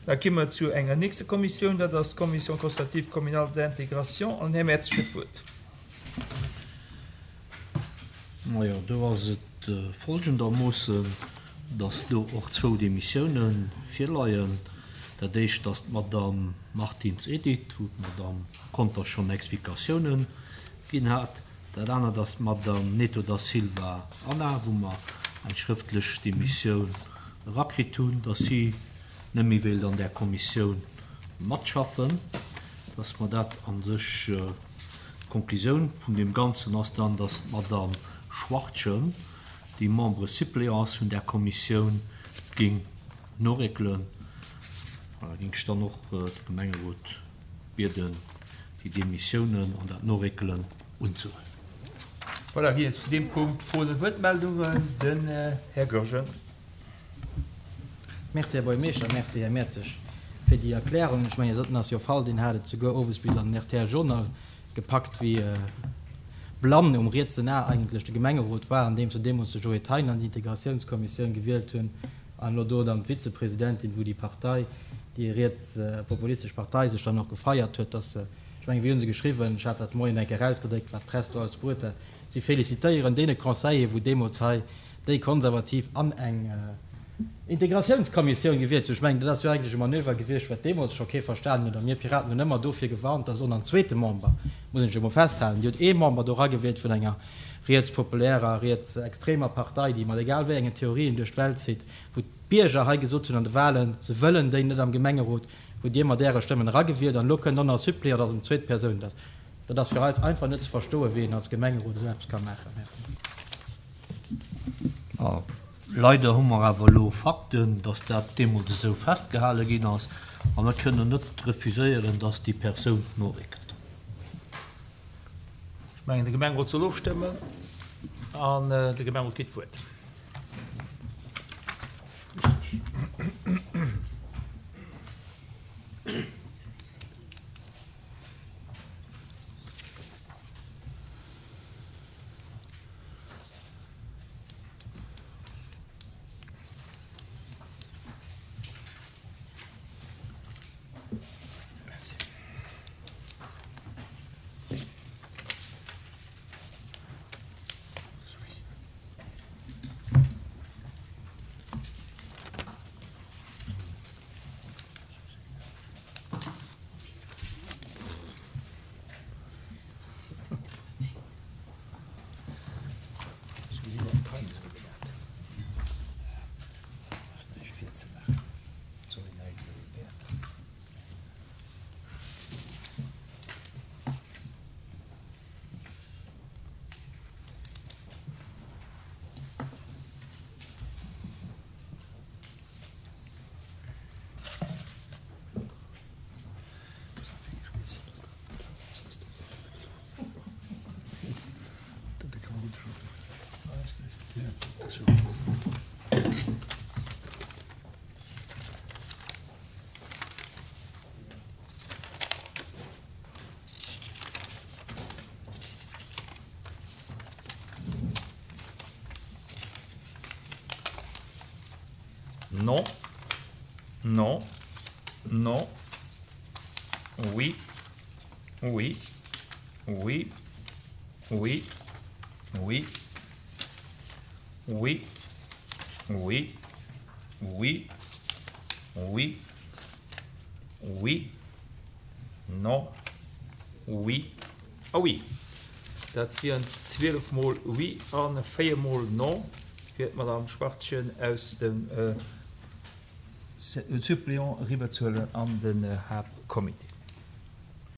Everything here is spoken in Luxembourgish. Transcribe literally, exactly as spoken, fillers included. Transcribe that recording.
Da gi mer zu enger nächster Kommissioun, dat ass d'Commission consultative communale d'intégration, an den Här Mertz huet d'Wuert. Majo, do ass et folgendermoossen, dass do och zwou Demissiounen virleien. Dat éischt ass d'Madame Martins Edith, wou d'Madame Conter schonn Explikatiounen ginn hat. Dat anert ass d'Madame Neto da Silva Anna, wou mer eng schrëftlech Demissioun erakritt hunn, dass si net méi wéilt an där Kommissioun matschaffen, dass mer dat a sech, d'Konklusioun vun deem Ganzen ass dann, dass d'Madame Schwachtgen, déi Membre suppléant ass vun där Kommissioun, géing noréckelen. Voilà, géing ech dann och de Gemengerot bieden, déi Demissiounen an dat Noréckelen unzehuelen. Voilà, ginn et zu deem Punkt Froen oder Wuertmeldungen? Den Här Goergen. Merci, Här Buergermeeschter. Merci, Här Mertzig, fir déi Erklärung. Ech mengen, dat ass jo Fall, deen hat et souguer owes bis an den R T L Journal gepackt, wéi blann um rietsen A eigentlech de Gemengerot war, andeems se deemools de Joé Thein an déi Integratiounskommissioun gewielt hunn an elo do dann d'Vizepresidentin, wou déi Partei, déi rietspopulistesch Partei sech dann och gefeiert huet, dass se, ech mengen, wéi hu se geschriwwen, ech hat dat de Moien eng Kéier erausgedréckt, wat d'Press do alles bruet hat, si félicitéieren deene Conseiller, wou deemools hei déi Konservativ an eng Integratiounskommissioun gewielt hunn. Ech mengen, dat ass jo eigentlech e Manöver gewiescht, wat deemools scho kee verstanen huet. A mir Piraten hunn ëmmer dofir gewarnt, dass och nach en zweete Member, muss een sech emol festhalen, Dir hutt ee Member do eragewielt vun enger rietspopulärer, rietsextremer Partei, déi mat egal wéi engen Theorien duerch d'Welt zitt, wou d'Bierger hei gesot hunn an de Wahlen, se wëllen déi net am Gemengerot, hutt Dir mat Äre Stëmmen eragewielt an elo kënnt och nach e Suppléant, dass en zweet Persoun dat ass. Dat ass fir eis einfach net ze verstoen, wéi een als Gemengerot esou eppes ka maachen. Merci. Leider hu mer awer elo Fakten, dass dat deemools esou festgehale ginn ass, a mer kënnen net refuséieren, dass déi Persoun noréckelt. Ech mengen, de Gemengerot soll ofstëmmen an de Gemengerot kritt d'Wuert. Non. Non. Non. Oui. Oui. Oui. Oui. Oui. Oui. Oui. Oui. Oui. Oui. Non. Oui. A oui. Dat wieren zwielef mol Oui a véier mol Non fir d'Madame Schwachtgen aus dem Suppléant eriwwerzehuelen an den Haaptcomité.